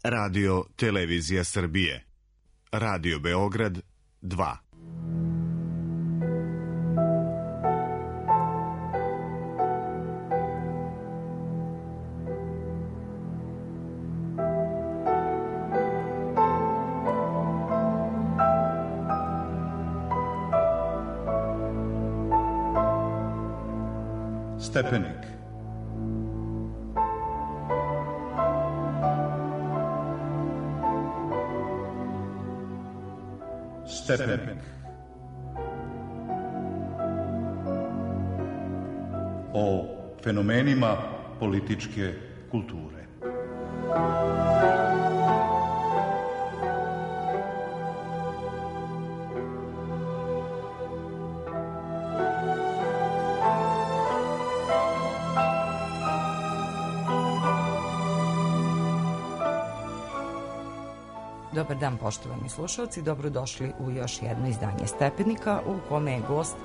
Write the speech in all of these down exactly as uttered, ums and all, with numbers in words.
Radio Televizija Srbije. Radio Beograd dva. Stepenik. Stepenik. O fenomenima političke kulture. Dobar dan, poštovani slušalci, dobrodošli u još jedno izdanje Stepenika u kome je gost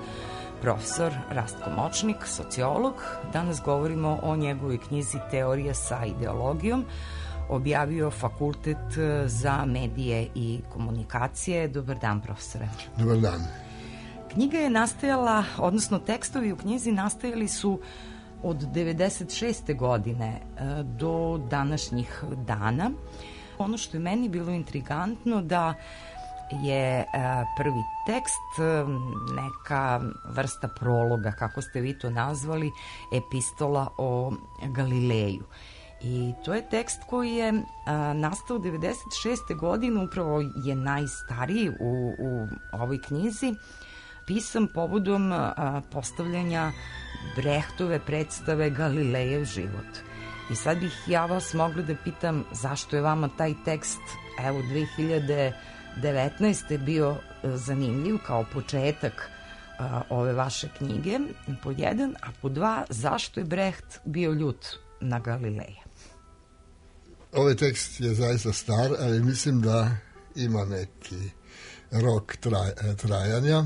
profesor Rastko Močnik, sociolog. Danas govorimo o njegovoj knjizi Teorija sa ideologijom, objavio Fakultet za medije i komunikacije. Dobar dan, profesore. Dobar dan. Knjiga je nastajala, odnosno tekstovi u knjizi nastajali su od devedeset šeste godine do današnjih dana. Ono što je meni bilo intrigantno da je prvi tekst neka vrsta prologa, kako ste vi to nazvali, epistola o Galileju. I to je tekst koji je nastao devedeset šeste godine, upravo je najstariji u, u ovoj knjizi, pisan povodom postavljanja Brechtove predstave Galilejev život. I sad bih ja vas mogla da pitam zašto je vama taj tekst, evo, dve hiljade devetnaeste. bio zanimljiv kao početak a, ove vaše knjige, po jedan, a po dva, zašto je Brecht bio ljut na Galileja? Ovaj tekst je zaista star, ali mislim da ima neki rok traj, trajanja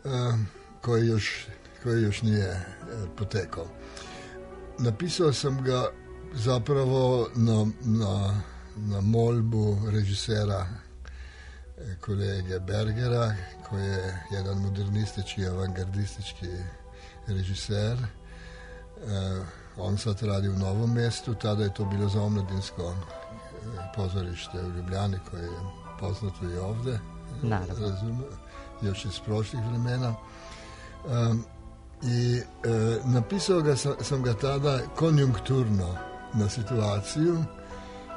a, koji, još, koji još nije a, potekao. Napisao sam ga zapravo na, na, na molbu režisera kolege Bergera, koji je jedan modernistički, avangardistički režiser. E, on sad radi u Novom Mestu, tada je to bilo za omladinsko pozorište u Ljubljani, koje je poznato i ovde. Naravno. Razum, još iz prošlih vremena. E, I e, napisao ga sam, sam ga tada konjunkturno na situaciju,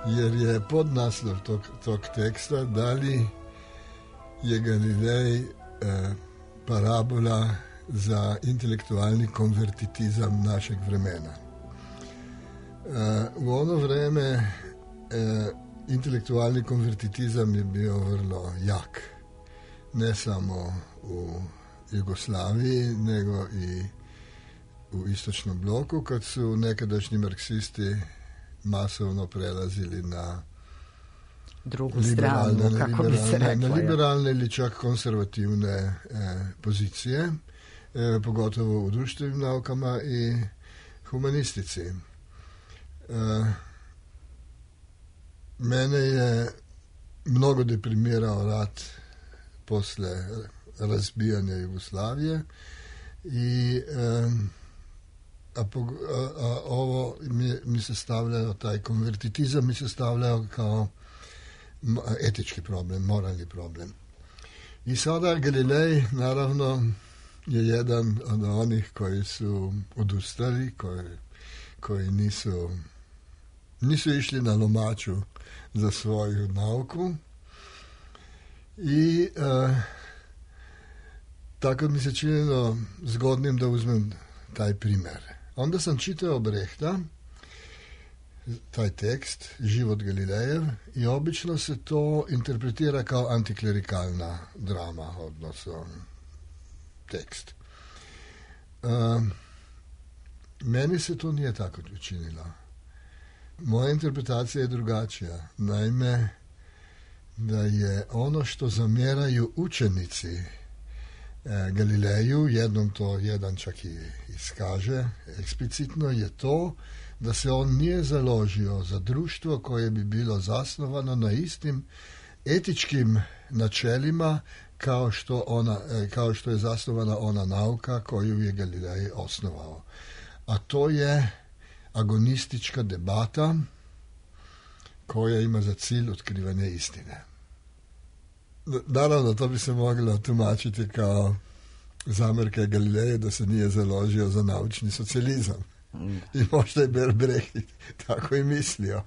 jer je podnaslov tog, tog teksta da li je Galilej e, parabola za intelektualni konvertitizam našeg vremena. E, u ono vreme e, intelektualni konvertitizam je bio vrlo jak, ne samo u Jugoslaviji, nego i u istočnom bloku, kad su nekadašnji marksisti masovno prelazili na drugu stranu, kako bi se reklo. Na liberalne ili čak konservativne e, pozicije, e, pogotovo u društvenim naukama i humanistici. E, mene je mnogo deprimirao rat posle razbijanja Jugoslavije i um, a, a, a ovo mi, mi se stavljao, taj konvertitizam mi se stavljao kao etički problem, moralni problem. I sada Galilej naravno je jedan od onih koji su odustali, koji, koji nisu nisu išli na lomaču za svoju nauku i uh, tako mi se činilo zgodnim da uzmem taj primer. Onda sam čitao Brechta, taj tekst, Život Galilejev, i obično se to interpretira kao antiklerikalna drama, odnosno tekst. Um, meni se to nije tako učinilo. Moja interpretacija je drugačija. Naime, da je ono što zamjeraju učenici Galileju, jednom to jedan čak i iskaže eksplicitno, je to da se on nije založio za društvo koje bi bilo zasnovano na istim etičkim načelima kao što, ona, kao što je zasnovana ona nauka koju je Galilej osnovao. A to je agonistička debata koja ima za cilj otkrivanje istine. Naravno, to bi se moglo tumačiti kao zamjerka Galileja da se nije založio za naučni socijalizam. I možda je Brecht tako i mislio.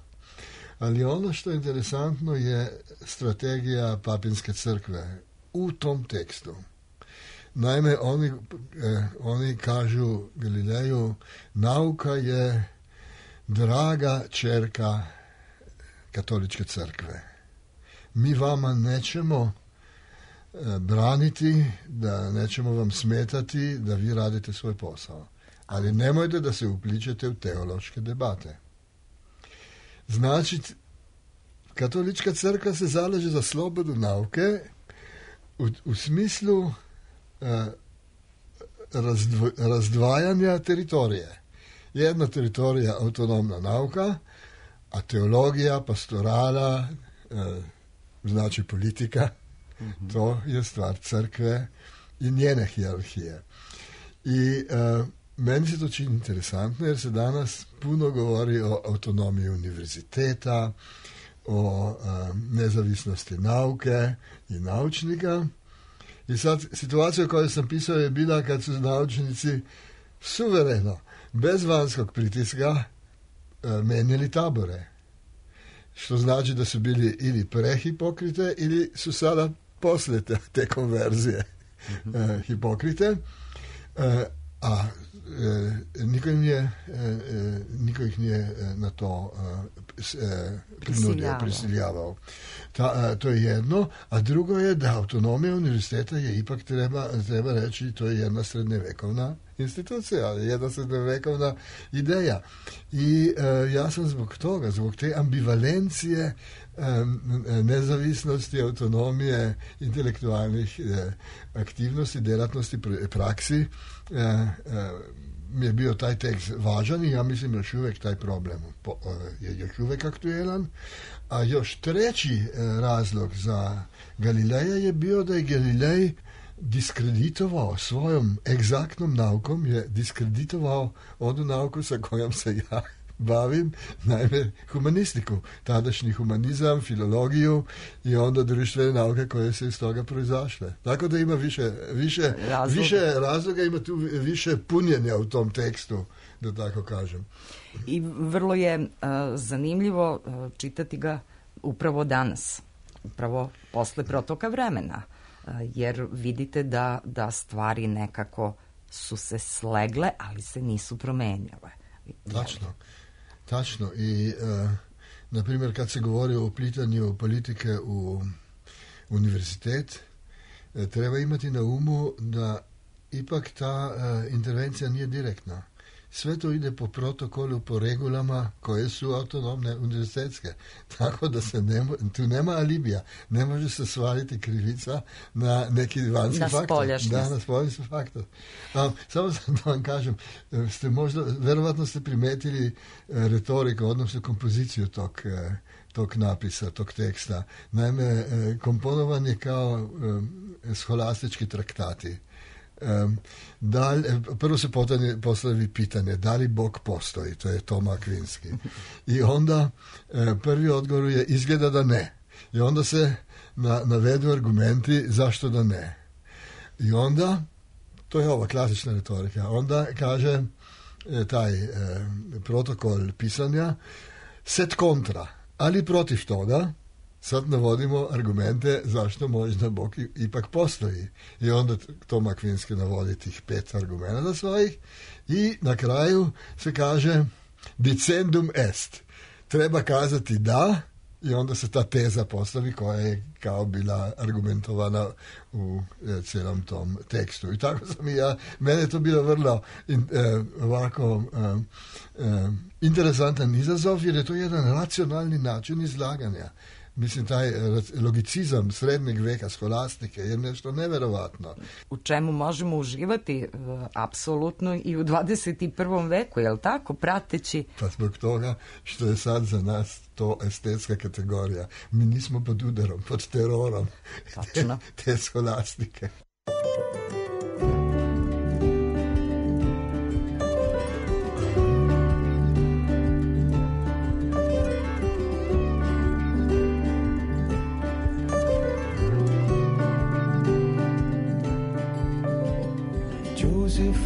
Ali ono što je interesantno je strategija Papinske crkve u tom tekstu. Naime, oni, eh, oni kažu Galileju, nauka je draga čerka Katoličke crkve. Mi vama nećemo eh, braniti, da nećemo vam smetati da vi radite svoj posao. Ali nemojte da se upličete u teološke debate. Znači, Katolička crkva se zalaže za slobodu nauke u, u smislu eh, razdvo, razdvajanja teritorije. Jedna teritorija autonomna nauka, a teologija, pastorala, eh, znači politika, mm-hmm. to je stvar crkve i njene hijerarhije. I eh, meni se to čini interesantno jer se danas puno govori o autonomiji univerziteta, o um, nezavisnosti nauke i naučnika. I sad situacija koju sam pisao je bila kad su naučnici suvereno, bez vanjskog pritiska, uh, menjali tabore. Što znači da su bili ili prehipokrite ili su sada poslije te, te konverzije uh, hipokrite. Uh, a E, niko, im je, e, niko ih nije na to e, prinudio, prisiljavao. Ta, a, to je jedno, a drugo je da autonomija univerziteta je ipak treba, treba reći, to je jedna srednjevekovna institucija, jedna srednjevekovna ideja. I e, ja sam zbog toga, zbog te ambivalencije e, nezavisnosti, autonomije, intelektualnih e, aktivnosti, djelatnosti, praksi, e, e, mi je bio taj tekst važan i ja mislim još uvijek taj problem po, je još uvijek aktuelan. A još treći razlog za Galileja je bio da je Galilej diskreditovao svojom egzaktnom naukom, je diskreditovao onu nauku sa kojom se ja bavim, naime humanistiku, tadašnji humanizam, filologiju i onda društvene nauke koje se iz toga proizašle. Tako da ima više, više, razloga. više razloga, ima tu više punjenja u tom tekstu, da tako kažem. I vrlo je uh, zanimljivo uh, čitati ga upravo danas, upravo posle protoka vremena, uh, jer vidite da, da stvari nekako su se slegle, ali se nisu promenjale. Tačno. Tačno. I, uh, na primjer, kad se govori o uplitanju politike u univerzitet, uh, treba imati na umu da ipak ta uh, intervencija nije direktna. Sve to ide po protokolu, po regulama koje su autonomne univerzitetske. Tako da se ne, tu nema alibija. Ne može se svaliti krivica na neki vanjski faktor. Da, na spoljašnji faktor. A, samo da vam kažem, ste možda, verovatno ste primetili retoriku, odnosno kompoziciju tog, tog napisa, tog teksta. Naime, komponovan je kao scholastički traktati. Um, da li, prvo se postavi pitanje da li Bog postoji, to je Toma Akvinski. I onda e, prvi odgovor je izgleda da ne. I onda se na, navedu argumenti zašto da ne. I onda, to je ova klasična retorika, onda kaže e, taj e, protokol pisanja set kontra, ali protiv toga sad navodimo argumente zašto možda Bog ipak postoji. I onda Tom Akvinski navodi tih pet argumenta svojih i na kraju se kaže dicendum est. Treba kazati da i onda se ta teza postavi koja je kao bila argumentovana u e, cijelom tom tekstu. I tako sam i ja, mene je to bilo vrlo in, e, ovako e, e, interesantan izazov jer je to jedan racionalni način izlaganja. Mislim, taj logicizam srednjeg veka skolastike je nešto neverovatno. U čemu možemo uživati apsolutno i u dvadeset prvom veku, je li tako, prateći? Pa zbog toga što je sad za nas to estetska kategorija. Mi nismo pod udarom, pod terorom te, te skolastike.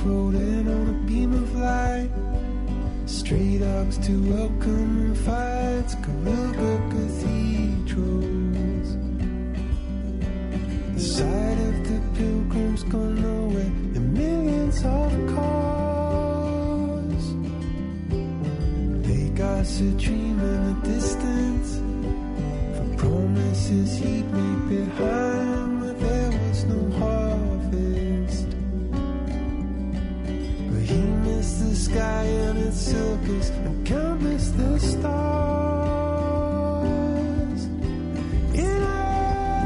Floating on a beam of light, stray dogs to welcome fights, Carilga cathedrals. The sight of the pilgrims gone nowhere, and millions of cars. Vegas a dream in the distance, for promises he'd made behind, but there was no harvest. He missed the sky and its silkers and countless the stars. In Africa,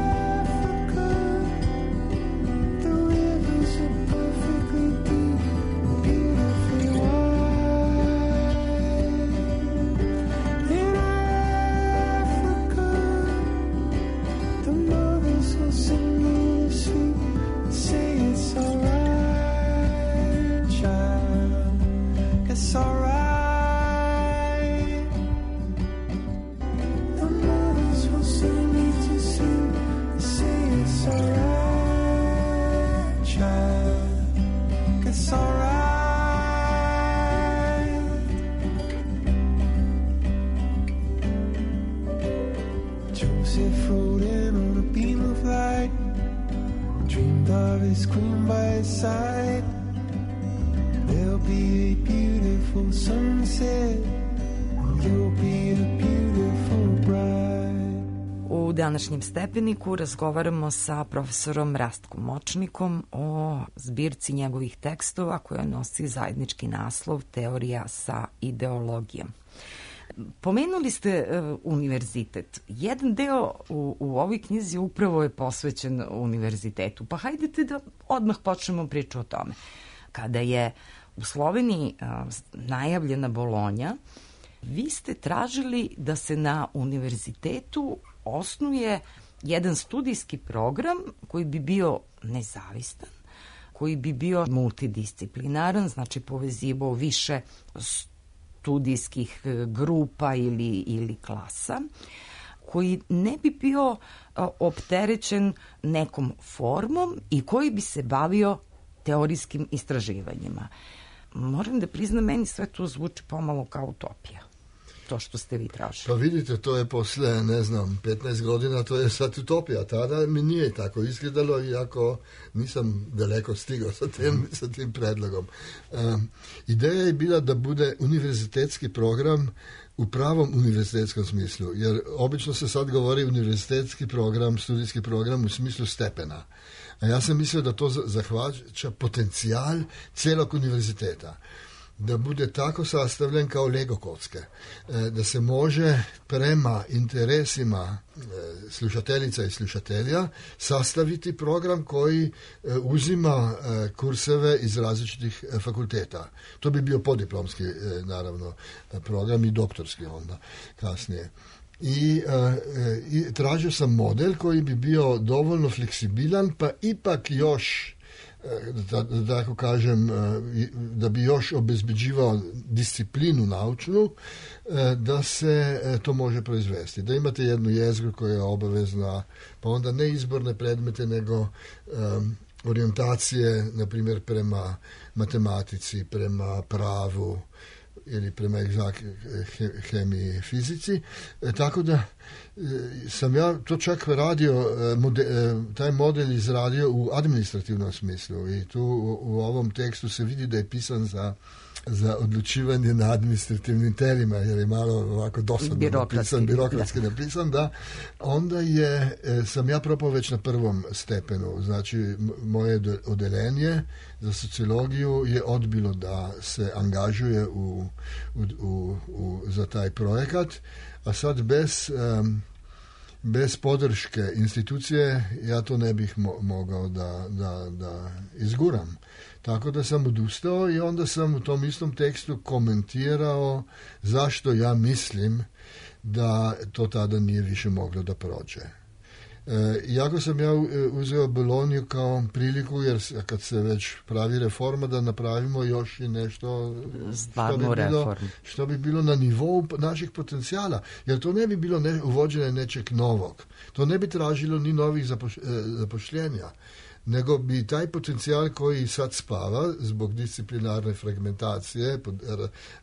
the rivers are perfectly deep and beautifully wide. In Africa, the mothers will sing you to sleep and say it's alright. It's alright. The mothers will sing me to sleep and say it's alright, child. It's alright. Joseph rode in on a beam of light, dreamed of his queen by his side. There'll be a beautiful sunset, you'll be a beautiful bride. U današnjem stepeniku razgovaramo sa profesorom Rastkom Močnikom o zbirci njegovih tekstova koja nosi zajednički naslov Teorija sa ideologijom. Pomenuli ste uh, univerzitet. Jedan deo u, u ovoj knjizi upravo je posvećen univerzitetu. Pa hajdete da odmah počnemo priču o tome. Kada je u Sloveniji uh, najavljena Bolonja, vi ste tražili da se na univerzitetu osnuje jedan studijski program koji bi bio nezavistan, koji bi bio multidisciplinaran, znači povezivao više studijskih grupa ili, ili klasa, koji ne bi bio uh, opterećen nekom formom i koji bi se bavio teorijskim istraživanjima. Moram da priznam, meni sve to zvuči pomalo kao utopija, to što ste vi tražili. Pa vidite, to je posle, ne znam, petnaest godina, to je sad utopija. Tada mi nije tako izgledalo, iako nisam daleko stigao sa tim, sa tim predlogom. Um, ideja je bila da bude univerzitetski program u pravom univerzitetskom smislu, jer obično se sad govori univerzitetski program, studijski program u smislu stepena. A ja sam mislio da to zahvaća potencijal celog univerziteta. Da bude tako sastavljen kao Lego kocke. Da se može prema interesima slušateljica i slušatelja sastaviti program koji uzima kurseve iz različitih fakulteta. To bi bio podiplomski, naravno, program i doktorski onda kasnije. I, uh, i tražio sam model koji bi bio dovoljno fleksibilan, pa ipak još, da, da tako kažem, da bi još obezbeđivao disciplinu naučnu, da se to može proizvesti. Da imate jednu jezgru koja je obavezna, pa onda ne izborne predmete, nego um, orijentacije, na primjer, prema matematici, prema pravu, ili prema egzak, hemiji, fizici, e, tako da sam ja to čak radio, mode, taj model izradio u administrativnom smislu i tu u, u ovom tekstu se vidi da je pisan za za odlučivanje na administrativnim telima, jer je malo ovako dosadno napisan, birokratski napisan, da. Onda je, sam ja propao već na prvom stepenu, znači moje odeljenje za sociologiju je odbilo da se angažuje u, u, u, u, za taj projekat, a sad bez, um, bez podrške institucije ja to ne bih mo- mogao da, da, da izguram. Tako da sam odustao i onda sam u tom istom tekstu komentirao zašto ja mislim da to tada nije više moglo da prođe. E, iako sam ja uzeo Bolonju kao priliku, jer kad se već pravi reforma, da napravimo još i nešto što bi, bilo, što bi bilo na nivou naših potencijala. Jer to ne bi bilo ne, uvođenje nečeg novog. To ne bi tražilo ni novih zapoš, zapošljenja. Nego bi taj potencijal koji sad spava zbog disciplinarne fragmentacije,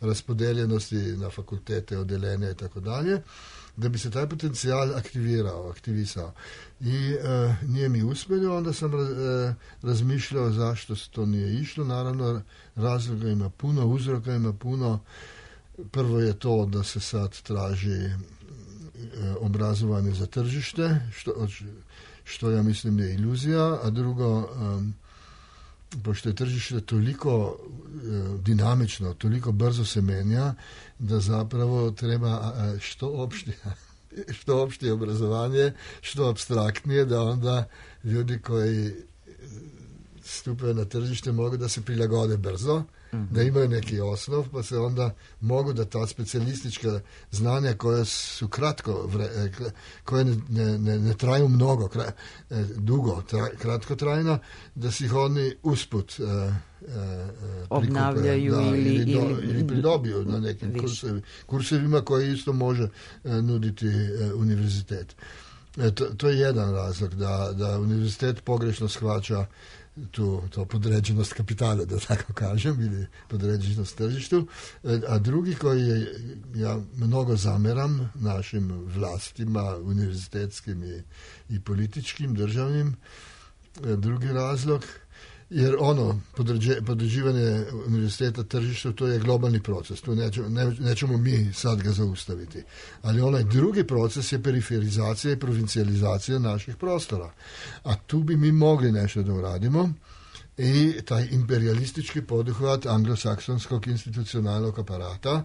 raspodeljenosti na fakultete, odeljenja i tako dalje, da bi se taj potencijal aktivirao, aktivisao. I e, nije mi uspjelo, onda sam e, razmišljao zašto to nije išlo. Naravno, razloga ima puno, uzroka ima puno. Prvo je to da se sad traži e, obrazovanje za tržište, što što ja mislim je iluzija, a drugo, um, pošto je tržište toliko uh, dinamično, toliko brzo se menja, da zapravo treba uh, što opštije, što opštije obrazovanje, što apstraktnije, da onda ljudi koji stupaju na tržište mogu da se prilagode brzo, mm-hmm. da imaju neki osnov, pa se onda mogu da ta specijalistička znanja koja su kratko, vre, koje ne, ne, ne, ne traju mnogo, kra, dugo, tra, kratko trajna, da si ih oni usput uh, uh, obnavljaju da, ili, ili, do, ili, ili pridobiju na nekim kursevi, kursevima koje isto može uh, nuditi uh, univerzitet. E, to, to je jedan razlog, da, da univerzitet pogrešno shvaća tu, to podređenost kapitala, da tako kažem, ili podređenost tržištu, a drugi koji je, ja mnogo zameram našim vlastima, univerzitetskim i, i političkim, državnim, drugi razlog, jer ono, podređe, podređivanje univerziteta tržištu, to je globalni proces, tu nećemo, ne, nećemo mi sad ga zaustaviti. Ali onaj drugi proces je periferizacija i provincijalizacija naših prostora. A tu bi mi mogli nešto da uradimo i taj imperialistički poduhvat anglosaksonskog institucionalnog aparata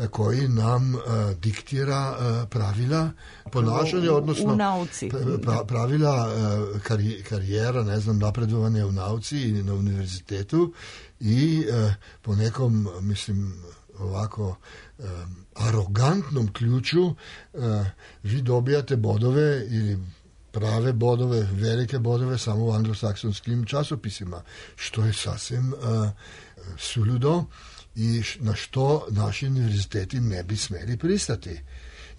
koji nam uh, diktira uh, pravila ponašanja, odnosno u nauci. Pra, pravila uh, kari, karijera, ne znam, napredovanje u nauci i na univerzitetu i uh, po nekom, mislim, ovako um, arogantnom ključu uh, vi dobijate bodove ili prave bodove, velike bodove samo u anglosaksonskim časopisima, što je sasvim uh, suludo i na što naši univerziteti ne bi smeli pristati,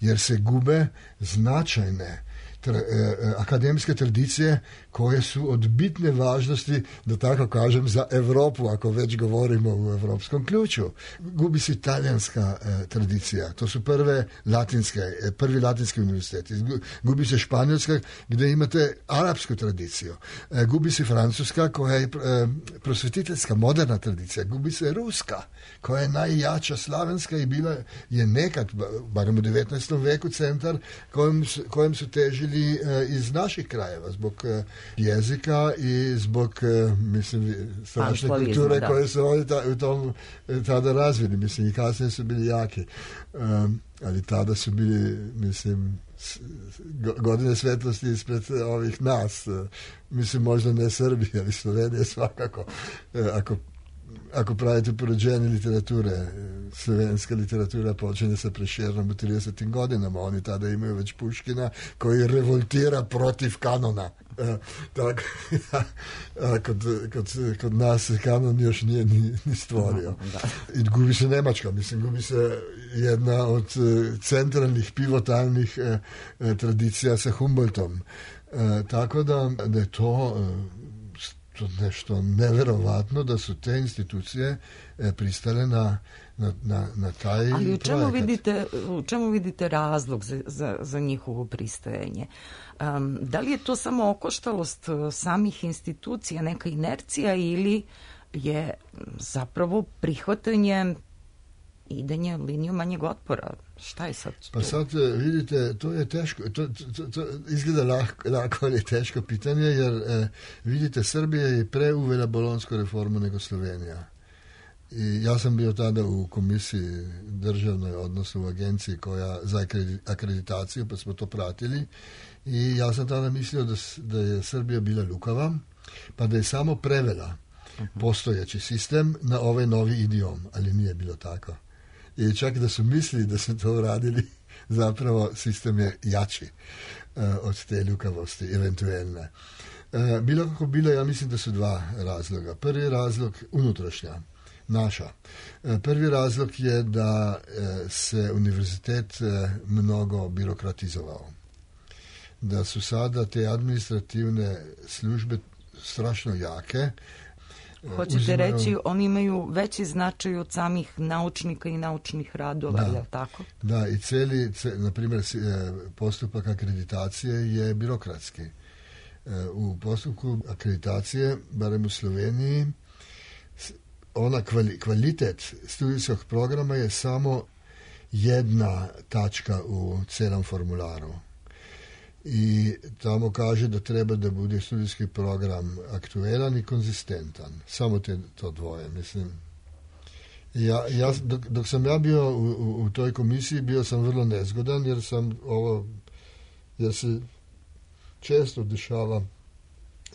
jer se gube značajne tra, eh, akademske tradicije koje su od bitne važnosti, da tako kažem, za Evropu, ako već govorimo u evropskom ključu. Gubi se italijanska eh, tradicija, to su prve latinske, eh, prvi latinski univerziteti. Gubi se španjolska, gdje imate arapsku tradiciju. Eh, gubi se francuska, koja je eh, prosvetiteljska, moderna tradicija. Gubi se ruska, koja je najjača, slavenska i bila je nekad, barem u devetnaestom veku, centar kojem su, kojem su težili eh, iz naših krajeva, zbog eh, jezika i zbog, mislim, strašne kulture da. Koje su oni ta, u tom tada razvili. Mislim, i kasnije su bili jaki. Um, ali tada su bili, mislim, godine svetlosti ispred ovih nas. Mislim, možda ne Srbije, ali Slovenije svakako. Ako Ako pravite porođenje literature, slovenska literatura počinje sa Prešernom u tridesetim godinama. Oni tada imaju već Puškina koji revoltira protiv kanona. E, tako, a kod, kod, kod nas se kanon još nije ni, ni stvorio. I gubi se Nemačka, mislim, gubi se jedna od centralnih, pivotalnih e, tradicija sa Humboldtom. E, tako da, da je to to nešto neverovatno da su te institucije e, pristale na, na, na, na taj Ali u čemu projekat. vidite, u čemu vidite razlog za, za, za njihovo pristajanje? Um, da li je to samo okoštalost samih institucija, neka inercija, ili je zapravo prihvatanje idenje linijom manjeg otpora? Šta je sad to? Pa sad vidite, to je teško, to, to, to izgleda lako, lako, ali je teško pitanje, jer eh, vidite, Srbija je pre uvela bolonsku reformu nego Slovenija. I ja sam bio tada u komisiji državnoj, odnosno u agenciji koja za akreditaciju, pa smo to pratili, i ja sam tada mislio da, da je Srbija bila lukava, pa da je samo prevela postojeći sistem na ovaj novi idiom, ali nije bilo tako. I čak da su mislili da su to uradili, zapravo sistem je jači uh, od te ljukavosti, eventualne. Uh, bilo kako bilo, ja mislim da su dva razloga. Prvi razlog, unutrašnja, naša. Uh, prvi razlog je da uh, se univerzitet uh, mnogo birokratizovao. Da su sada te administrativne službe strašno jake. Hoćete Uzimaju... reći, oni imaju veći značaj od samih naučnika i naučnih radova, da, je li tako? Da, i celi, na primjer, postupak akreditacije je birokratski. U postupku akreditacije, barem u Sloveniji, ona kvalitet studijskog programa je samo jedna tačka u celom formularu. I tamo kaže da treba da bude studijski program aktuelan i konzistentan. Samo te, to dvoje, mislim. Ja, ja, dok, dok sam ja bio u, u, u toj komisiji, bio sam vrlo nezgodan, jer sam ovo, jer se često dešava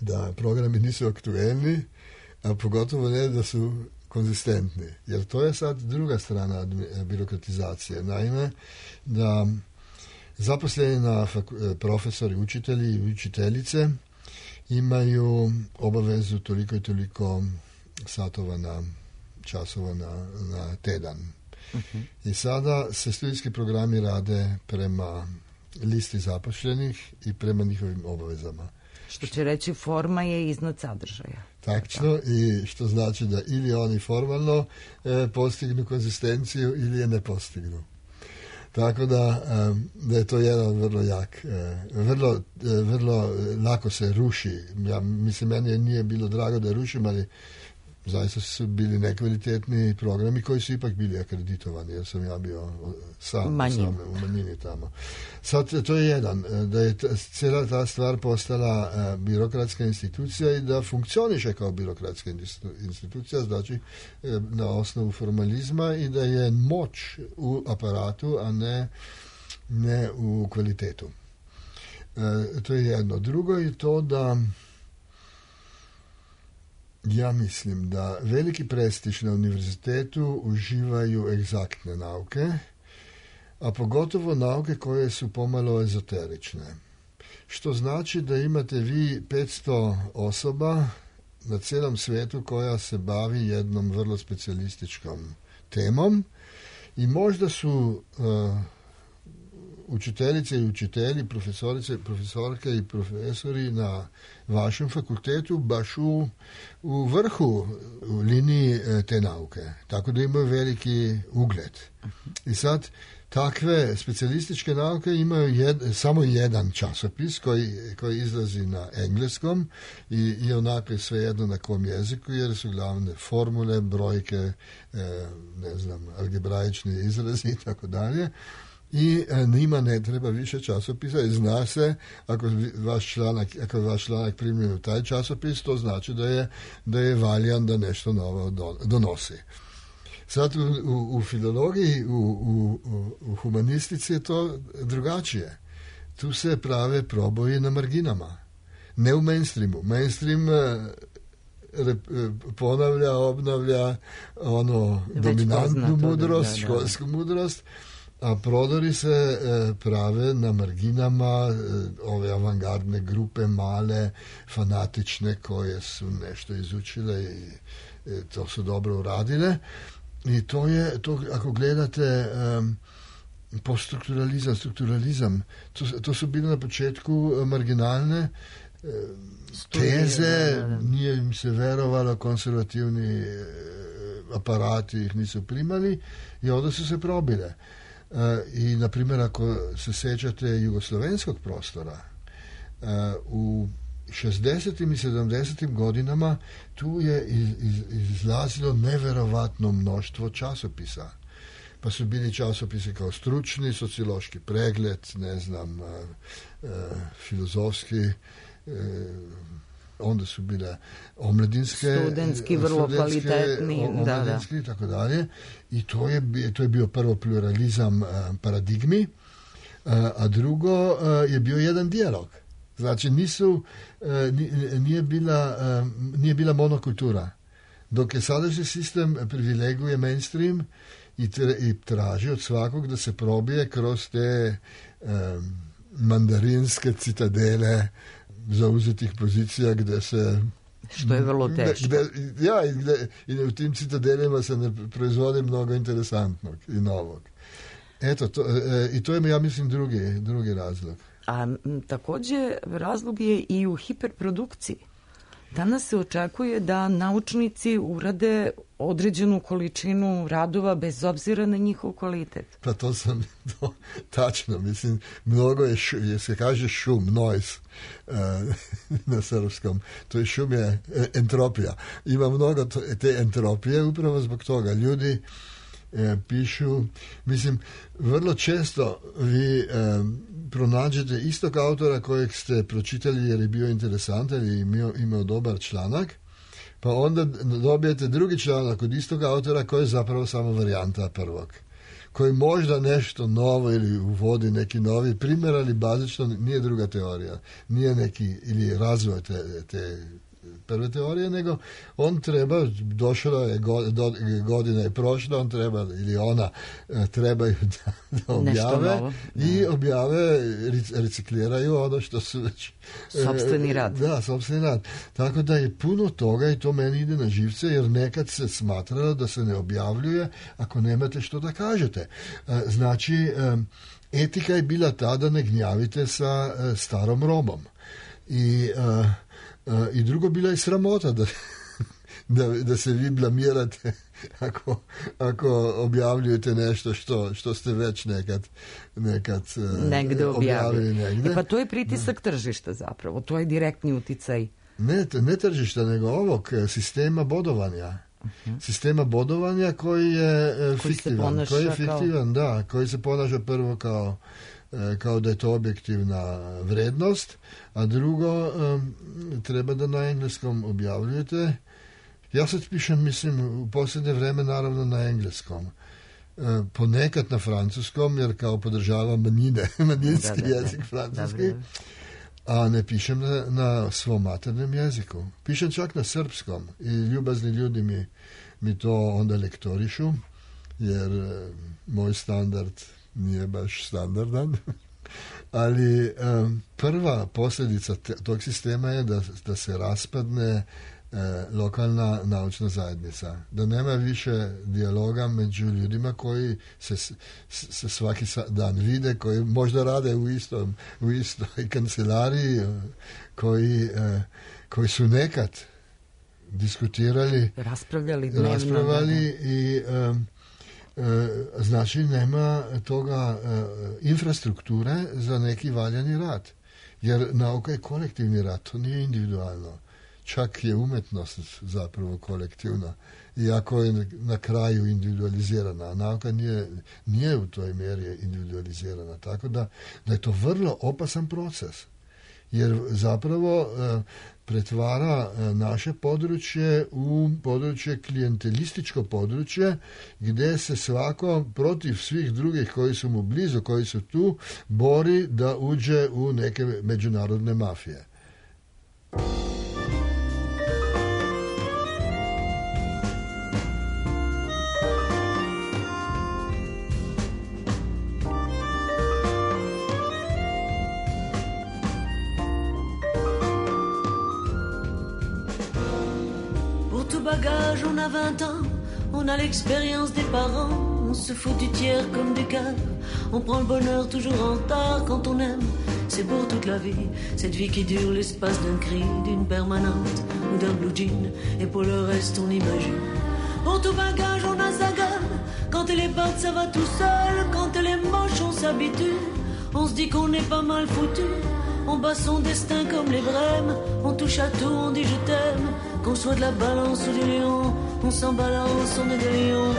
da programi nisu aktuelni, a pogotovo ne da su konzistentni. Jer to je sad druga strana birokratizacije. Naime, da zaposleni na faku- profesori, učitelji i učiteljice imaju obavezu toliko i toliko satova na časova na, na tedan. Uh-huh. I sada se studijski programi rade prema listi zaposlenih i prema njihovim obavezama. Što će reći, forma je iznad sadržaja. Tačno, i što znači da ili oni formalno e, postignu konzistenciju ili je ne postignu. Tako da, da je to jedan vrlo jak, vrlo, vrlo lako se ruši. Ja, mislim, meni nije bilo drago da rušim, ali zaista su bili nekvalitetni programi koji su ipak bili akreditovani, jer sam ja bio sam, sam u manjini tamo. Sad, to je jedan, da je ta, cijela ta stvar postala a, birokratska institucija i da funkcioniše kao birokratska institucija, znači a, na osnovu formalizma, i da je moć u aparatu, a ne, ne u kvalitetu. A, to je jedno. Drugo je to da ja mislim da veliki prestiž na univerzitetu uživaju egzaktne nauke, a pogotovo nauke koje su pomalo ezoterične. Što znači da imate vi petsto osoba na cijelom svijetu koja se bavi jednom vrlo specijalističkom temom, i možda su uh, učiteljice i učitelji, profesorice, profesorke i profesori na vašem fakultetu baš u, u vrhu u liniji te nauke. Tako da imaju veliki ugled. I sad takve specijalističke nauke imaju jed, samo jedan časopis koji, koji izlazi na engleskom i, i onako je svejedno na kom jeziku, jer su glavne formule, brojke, eh, ne znam, algebraični izrazi i tako dalje. I njima ne treba više časopisa, i zna se, ako vaš članak, ako je vaš članak primljen u taj časopis, to znači da je, da je valjan, da nešto novo donosi. Sad u, u, u filologiji, u, u, u humanistici je to drugačije. Tu se prave proboji na marginama, ne u mainstreamu. Mainstream rep, ponavlja, obnavlja ono već dominantnu mudrost, da, da. školsku mudrost, a prodori se e, prave na marginama, e, ove avangardne grupe, male, fanatične, koje su nešto izučile i e, to su dobro uradile. I to je, to, ako gledate e, poststrukturalizam, strukturalizam, to, to su bile na početku marginalne teze, da, da, da. Nije im se verovalo, konzervativni aparati ih nisu primali i onda su se probile. I, na primjer, ako se sećate jugoslovenskog prostora, u šezdesetim i sedamdesetim godinama tu je iz, iz, izlazilo neverovatno mnoštvo časopisa. Pa su bili časopisi kao Stručni, Sociološki pregled, ne znam, e, filozofski, e, onda su bile omladinske, studentski, vrlo kvalitetni, omladinski, da, da. Tako dalje. I to je, to je bio prvo pluralizam paradigmi, a drugo je bio jedan dijalog. Znači, nisu, nije bila, nije bila monokultura. Dok je sadašnji sistem privileguje mainstream i, tre, i traži od svakog da se probije kroz te um, mandarinske citadele zauzetih pozicija gde se... Što je vrlo teško. Gde, ja, i, gde, i u tim citadelima se ne proizvodi mnogo interesantnog i novog. Eto, to, e, i to je, ja mislim, drugi, drugi razlog. A m, takođe razlog je i u hiperprodukciji. Danas se očekuje da naučnici urade određenu količinu radova bez obzira na njihov kvalitet. Pa to sam, to, tačno, mislim, mnogo je, šu, je se kaže šum, noise uh, na srpskom. To je šum je entropija. Ima mnogo to, te entropije upravo zbog toga. Ljudi e, pišu, mislim, vrlo često vi e, pronađete istog autora kojeg ste pročitali jer je bio interesantan i imao, imao dobar članak, pa onda dobijete drugi članak od istog autora koji je zapravo samo varijanta prvog, koji možda nešto novo ili uvodi neki novi primjer, ali bazično nije druga teorija, nije neki ili razvoj te, te prve teorije, nego on treba, došla je godina je prošla, on treba ili ona trebaju da, da objave i objave, recikliraju ono što su već... Sopstveni rad. Da, sopstveni rad. Tako da je puno toga i to meni ide na živce, jer nekad se smatralo da se ne objavljuje ako nemate što da kažete. Znači, etika je bila ta da ne gnjavite sa starom robom. I... Uh, i drugo, bila je sramota da, da, da se vi blamirate ako, ako objavljujete nešto što, što ste već nekad, nekad negde objavili. Negde. E pa to je pritisak da. Tržišta zapravo, to je direktni uticaj. Ne, ne tržišta, nego ovog sistema bodovanja. Uh-huh. Sistema bodovanja koji je koji fiktivan. Koji je fiktivan, kao... da, koji se ponaša prvo kao kao da je to objektivna vrednost, a drugo um, treba da na engleskom objavljujete. Ja sad pišem, mislim, u posljednje vreme naravno na engleskom. Uh, ponekad na francuskom, jer kao podržavam manjine, manjinski da, da, jezik francuski, da, a ne pišem na, na svom maternem jeziku. Pišem čak na srpskom i ljubazni ljudi mi, mi to onda lektorišu, jer uh, moj standard nije baš standardan, ali um, prva posljedica te, tog sistema je da, da se raspadne e, lokalna naučna zajednica, da nema više dijaloga među ljudima koji se, se svaki dan vide, koji možda rade u istom, u istoj kancelariji, koji, e, koji su nekad diskutirali, raspravljali dnevno, raspravljali i um, znači nema toga infrastrukture za neki valjani rad. Jer nauka je kolektivni rad, to nije individualno. Čak je umetnost zapravo kolektivna. Iako je na kraju individualizirana, a nauka nije, nije u toj mjeri individualizirana. Tako da, da je to vrlo opasan proces. Jer zapravo e, pretvara e, naše područje u područje klijentelističko područje gdje se svako protiv svih drugih koji su mu blizu, koji su tu, bori da uđe u neke međunarodne mafije. Bagage, on a vingt ans, on a l'expérience des parents, on se fout du tiers comme du quart, on prend le bonheur toujours en retard quand on aime, c'est c'est pour toute la vie. Cette vie qui dure l'espace d'un cri, d'une permanente ou d'un blue jean. Et pour le reste on imagine. Pour tout bagage on a sa gamme. Quand elle est batte ça va tout seul. Quand elle est moche on s'habitue. On se dit qu'on est pas mal foutu. On bat son destin comme les brèmes. On touche à tout, on dit je t'aime. Qu'on soit de la balance ou du lion, on s'en balance, on est des lions.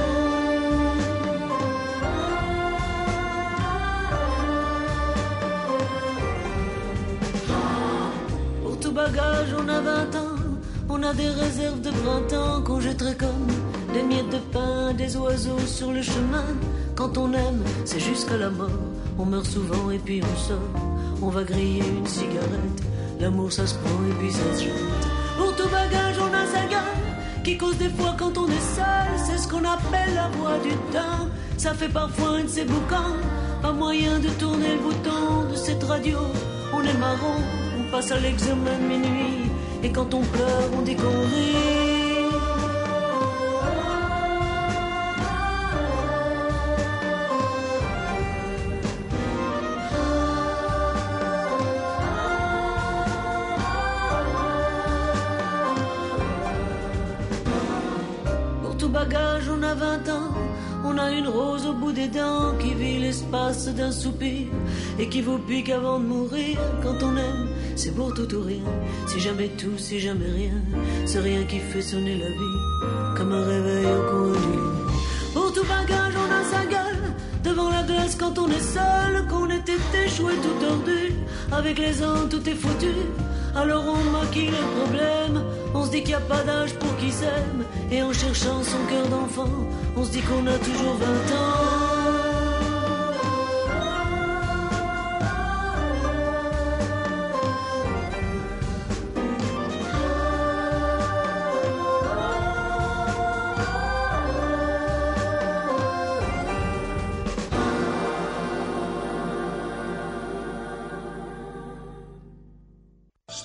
Pour tout bagage on a vingt ans. On a des réserves de printemps qu'on jetterait comme des miettes de pain, des oiseaux sur le chemin. Quand on aime, c'est jusqu'à la mort. On meurt souvent et puis on sort. On va griller une cigarette. L'amour ça se prend et puis ça se jette. Pour tout bagage on a sa gueule qui cause des fois quand on est seul. C'est ce qu'on appelle la voix du temps. Ça fait parfois un de ces boucans. Pas moyen de tourner le bouton de cette radio. On est marron, on passe à l'examen de minuit. Et quand on pleure on dit qu'on rit. Bagage, on a vingt ans, on a une rose au bout des dents qui vit l'espace d'un soupir et qui vous pique avant de mourir. Quand on aime, c'est pour tout ou rien. Si jamais tout, si jamais rien, c'est rien qui fait sonner la vie comme un réveil au coin du lit. Pour tout bagage, on a sa gueule devant la glace quand on est seul, qu'on était échoué tout tordu. Avec les ans, tout est foutu. Alors on maquille le problème. On se dit qu'il n'y a pas d'âge pour qui s'aime. Et en cherchant son cœur d'enfant, on se dit qu'on a toujours vingt ans.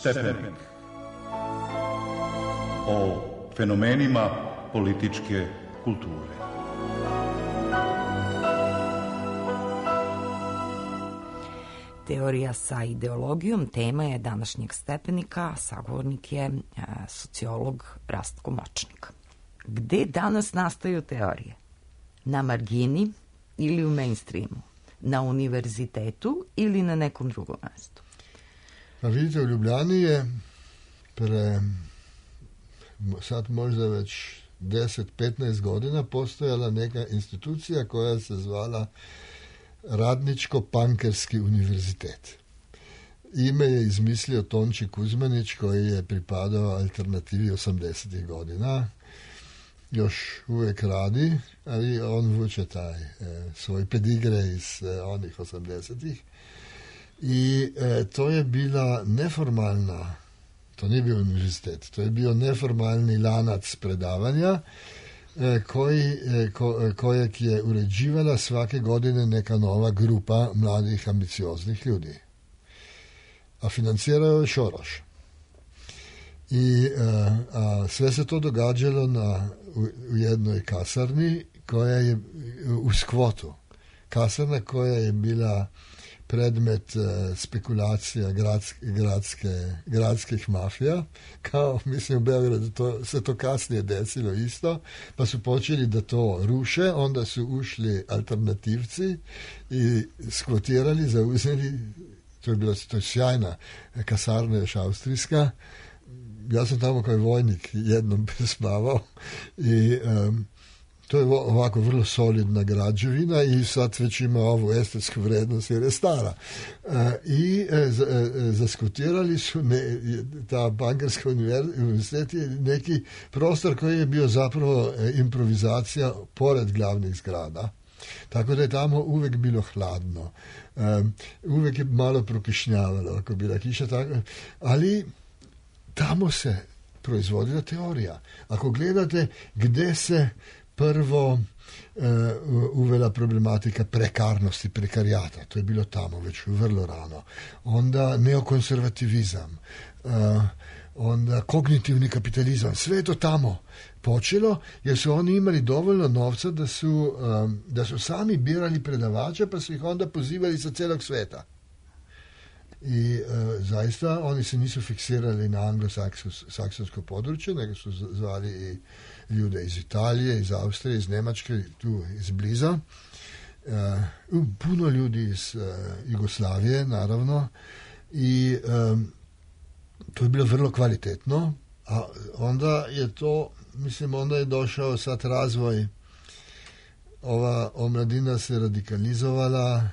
Stepenik. O fenomenima političke kulture. Teorija sa ideologijom tema je današnjeg Stepenika, a sagovornik je a, sociolog Rastko Močnik. Gde danas nastaju teorije? Na margini ili u mainstreamu? Na univerzitetu ili na nekom drugom mestu? Pa vidite, u Ljubljani je pre sad možda već deset do petnaest godina postojala neka institucija koja se zvala Radničko-pankerski univerzitet. Ime je izmislio Tonči Kuzmanić koji je pripadao alternativi osamdesetih godina. Još uvijek radi, ali on vuče taj e, svoj pedigre iz e, onih osamdesetih. I e, to je bila neformalna, to nije bio univerzitet, to je bio neformalni lanac predavanja e, koji, e, ko, kojeg je uređivala svake godine neka nova grupa mladih ambicioznih ljudi. A financirao je Šoroš. I a, a sve se to događalo na, u, u jednoj kasarni koja je u skvotu. Kasarna koja je bila predmet uh, spekulacija gradske, gradske, gradskih mafija, kao mislim u Beogradu to, se to kasnije desilo isto, pa su počeli da to ruše, onda su ušli alternativci i skvotirali, zauzeli, to je bila to je sjajna kasarna još austrijska. Ja sam tamo kao vojnik jednom spavao i um, to je ovako vrlo solidna građevina i sad već ima ovu estetsku vrednost jer je stara. E, I e, z, e, zaskutirali su ne, ta bankarska univerzitet je neki prostor koji je bio zapravo improvizacija pored glavnih zgrada. Tako da je tamo uvek bilo hladno. E, uvek je malo prokišnjavalo, ako bila kiša tako. Ali tamo se proizvodila teorija. Ako gledate gde se prvo uh, uvela problematika prekarnosti, prekarijata. To je bilo tamo već vrlo rano. Onda neokonservativizam, uh, onda kognitivni kapitalizam. Sve je to tamo počelo jer su oni imali dovoljno novca da su, um, da su sami birali predavača pa su ih onda pozivali sa celog sveta. I e, zaista oni se nisu fiksirali na anglosaksonsko područje, nego su zvali i ljude iz Italije, iz Austrije, iz Njemačke, tu iz bliza. E, puno ljudi iz e, Jugoslavije, naravno. I e, to je bilo vrlo kvalitetno. A onda je to, mislim, onda je došao sad razvoj. Ova omladina se radikalizovala,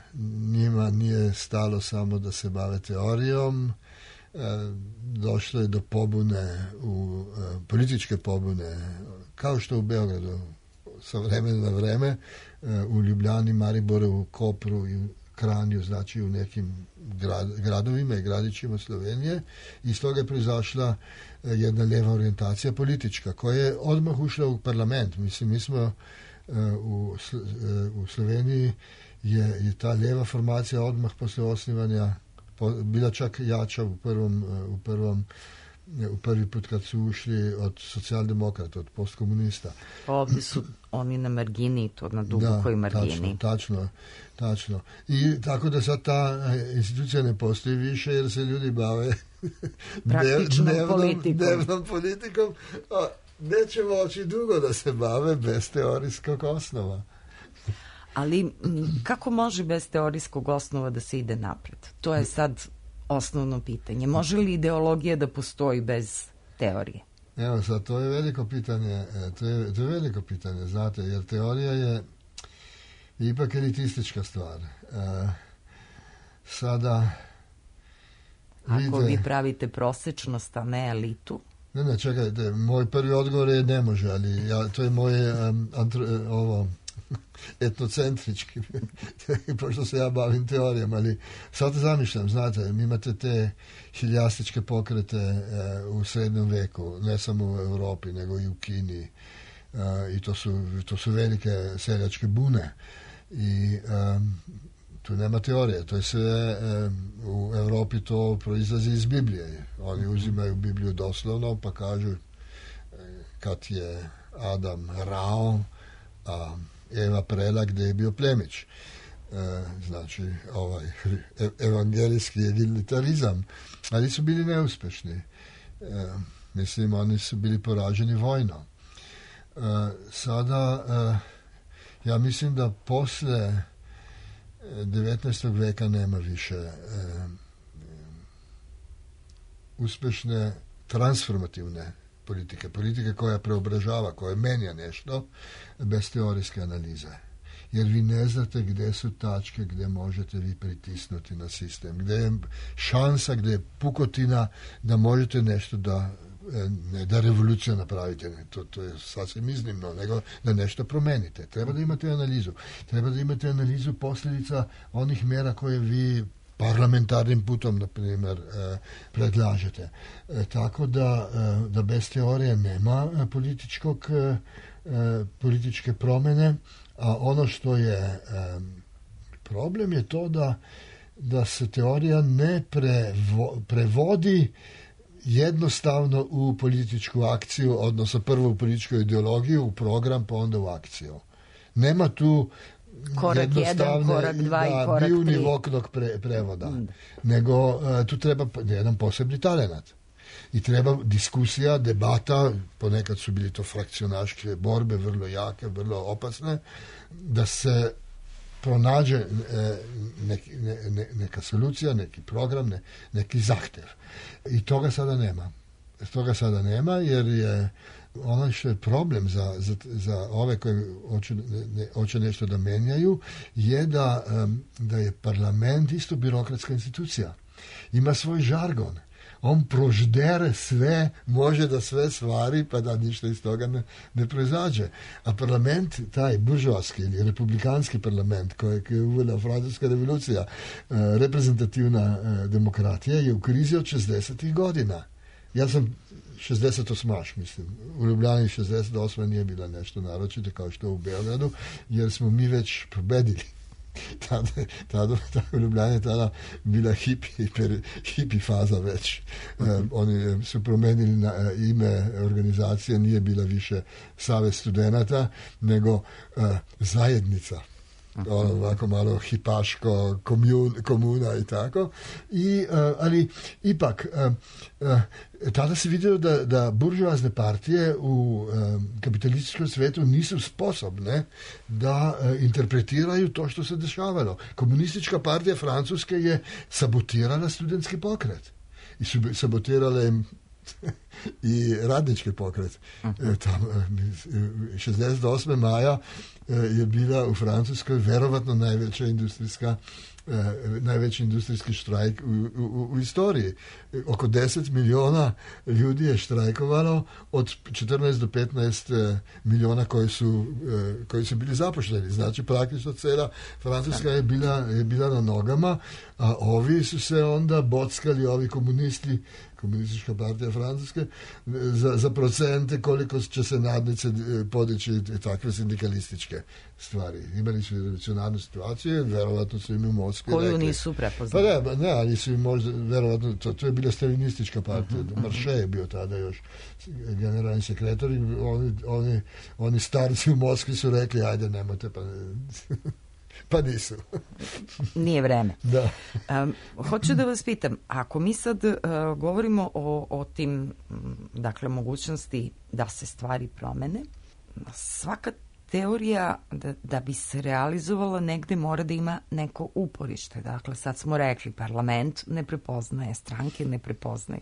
njima nije stalo samo da se bave teorijom, e, došlo je do pobune, u, e, političke pobune, kao što u Beogradu, sa vremena na vreme, e, u Ljubljani, Mariboru, Kopru i Kranju, znači u nekim grad, gradovima i gradićima Slovenije. Iz toga je proizašla jedna lijeva orijentacija politička, koja je odmah ušla u parlament. Mislim, mi smo u, u Sloveniji je, je ta lijeva formacija odmah posle osnivanja bila čak jača u prvom, u prvom u prvi put kad su ušli od socijaldemokrata, od postkomunista. Ovdje su oni na margini, to na dubokoj margini. Da, tačno, tačno. I tako da sad ta institucija ne postoji više jer se ljudi bave praktičnom dnevnom, politikom. Dnevnom politikom, a neće moći dugo da se bave bez teorijskog osnova. Ali kako može bez teorijskog osnova da se ide napred? To je sad osnovno pitanje. Može li ideologija da postoji bez teorije? Evo sad, to je veliko pitanje, to je, to je veliko pitanje, znate, jer teorija je ipak elitistička stvar. E, sada Ako vidite, vi pravite prosečnost, a ne elitu? Ne, ne, čekajte, moj prvi odgovor je ne može, ali ja, to je moje um, antro, ovo etnocentrički, pošto se ja bavim teorijom, ali sad zamišljam, znate, mi imate te hiljastičke pokrete e, u srednjem veku, ne samo u Europi, nego i u Kini, e, i to su, to su velike seljačke bune. I e, tu nema teorije, to je sve, e, u Europi to proizlazi iz Biblije. Oni uzimaju Bibliju doslovno, pa kažu e, kad je Adam rao, a Eva prela gdje je bio plemić. E, znači, ovaj evangelijski egalitarizam. Ali su bili neuspešni. E, mislim, oni su bili poraženi vojno. E, sada, e, ja mislim da posle devetnaestog veka nema više e, uspešne transformativne politike, politike koja preobražava, koja menja nešto bez teorijske analize. Jer vi ne znate gdje su tačke gdje možete vi pritisnuti na sistem, gdje je šansa, gdje je pukotina da možete nešto da ne da revolucija napravite, ne, to, to je sasvim iznimno, nego da nešto promenite. Treba da imate analizu. Treba da imate analizu posljedica onih mjera koje vi parlamentarnim putom, na primjer, predlažete. Tako da, da bez teorije nema političkog, političke promjene, a ono što je problem je to da, da se teorija ne prevo, prevodi jednostavno u političku akciju, odnosno prvo u političku ideologiju, u program, pa onda u akciju. Nema tu korak jedan, korak dva da, i korak tri. Biunivoknog pre, prevoda. Mm. Nego uh, tu treba jedan posebni talenat. I treba diskusija, debata, ponekad su bili to frakcionaške borbe, vrlo jake, vrlo opasne, da se pronađe e, neki, ne, ne, neka solucija, neki program, ne, neki zahtev. I toga sada nema. Toga sada nema, jer je ono što je problem za, za, za ove koje hoće, ne, hoće nešto da menjaju, je da, um, da je parlament isto birokratska institucija. Ima svoj žargon. On proždere sve, može da sve stvari, pa da ništa iz toga ne, ne proizađe. A parlament, taj buržoaski ili republikanski parlament, koji je uvela francuska revolucija, eh, reprezentativna eh, demokratija, je u krizi od šezdesetih godina. Ja sam šezdeset osmaš, mislim. U Ljubljani šezdeset osma nije bila nešto naročito kao što u Beogradu, jer smo mi već pobedili. Tada, tada, tada u Ljubljani je tada bila hipi, hiper, hipi faza već. Um, oni su promenili na, uh, ime organizacije, nije bila više Savez studenata, nego uh, zajednica. ono ovako malo hipaško komun, komuna i tako. I, uh, ali ipak uh, uh, tada se vidio da, da buržoazne partije u um, kapitalističkom svetu nisu sposobne da uh, interpretiraju to što se dešavalo. Komunistička partija Francuske je sabotirala studentski pokret i su sabotirale i radnički pokret. Uh-huh. Tam, šezdeset osmog maja je bila u Francuskoj verovatno najveća industrijska najveći industrijski štrajk u, u, u istoriji. Oko deset miliona ljudi je štrajkovalo od četrnaest do petnaest miliona koji su, koji su bili zaposleni. Znači praktično cela Francuska je bila, je bila na nogama, a ovi su se onda bockali, ovi komunisti, komunistička partija Francuske, za, za procente koliko će se nadnice podići takve sindikalističke stvari. Imali su revolucionarnu situaciju, verovatno su im u Moskvi koju rekli, nisu prepoznali. Pa ne, ne, ali su im možda, verovatno, to, to je bila stalinistička partija, uh-huh, Marše je bio tada još generalni sekretar i oni, oni, oni starci u Moskvi su rekli, ajde, nemojte, pa pa nisu. Nije vreme. Da. Um, hoću da vas pitam, ako mi sad uh, govorimo o, o tim, dakle, mogućnosti da se stvari promene, svaka teorija da, da bi se realizovala negde mora da ima neko uporište. Dakle, sad smo rekli, parlament ne prepoznaje, stranke ne prepoznaju.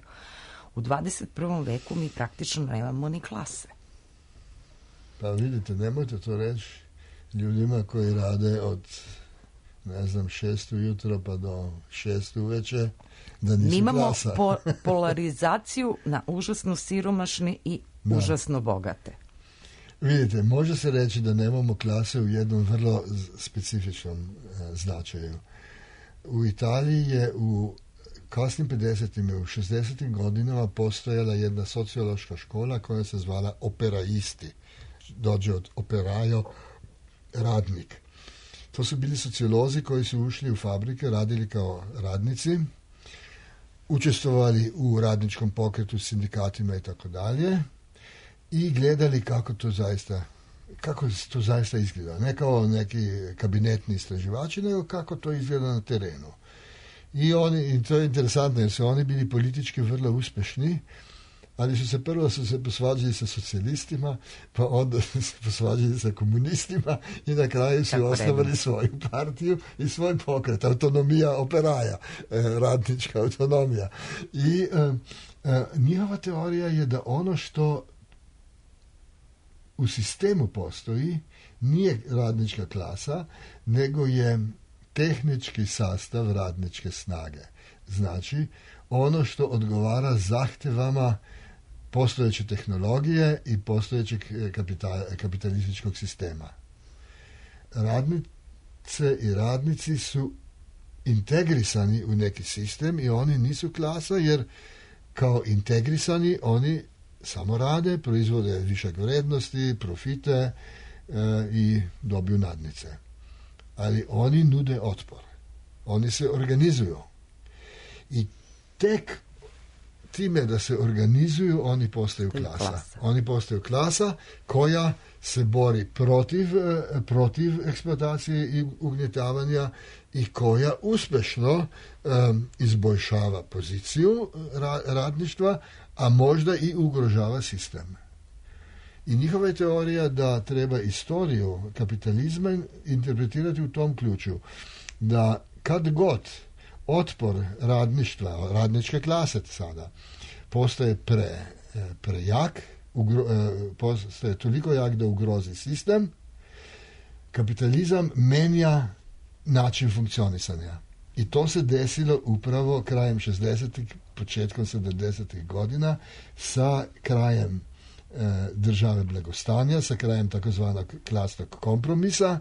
U dvadeset prvom veku mi praktično nemamo ni klase. Pa vidite, nemojte to reći ljudima koji rade od, ne znam, šest ujutro pa do šest uveče, da nisu mi imamo klasa. Po, polarizaciju na užasno siromašne i da. Užasno bogate. Vidite, može se reći da nemamo klase u jednom vrlo specifičnom e, značaju. U Italiji je u kasnim pedesetim i u šezdesetim godinama postojala jedna sociološka škola koja se zvala operaisti. Dođe od operajo, radnik. To su bili sociolozi koji su ušli u fabrike, radili kao radnici, učestvovali u radničkom pokretu, sindikatima i tako dalje i gledali kako to zaista kako to zaista izgleda. Ne kao neki kabinetni istraživači, nego kako to izgleda na terenu. I, oni, i to je interesantno jer su oni bili politički vrlo uspešni, ali su se prvo su se posvađali sa socijalistima, pa onda su se posvađali sa komunistima i na kraju su osnovali svoju partiju i svoj pokret, autonomija operaja, eh, radnička autonomija. I eh, eh, njihova teorija je da ono što u sistemu postoji nije radnička klasa, nego je tehnički sastav radničke snage. Znači, ono što odgovara zahtevama postojeće tehnologije i postojećeg kapital, kapitalističkog sistema. Radnice i radnici su integrisani u neki sistem i oni nisu klasa jer kao integrisani oni samo rade, proizvode višak vrednosti, profite e, i dobiju nadnice. Ali oni nude otpor. Oni se organizuju. I tek time da se organizuju, oni postaju klasa. klasa. Oni postaju klasa koja se bori protiv, protiv eksploatacije i ugnjetavanja i koja uspešno um, izboljšava poziciju ra, radništva, a možda i ugrožava sistem. I njihova je teorija da treba istoriju kapitalizma interpretirati u tom ključu. Da kad god otpor radništva, radničke klase sada, postaje pre, prejak, ugro, postaje toliko jak da ugrozi sistem, kapitalizam menja način funkcionisanja. I to se desilo upravo krajem šezdesetih, početkom sedamdesetih godina sa krajem e, države blagostanja, sa krajem takozvanog klasnog kompromisa,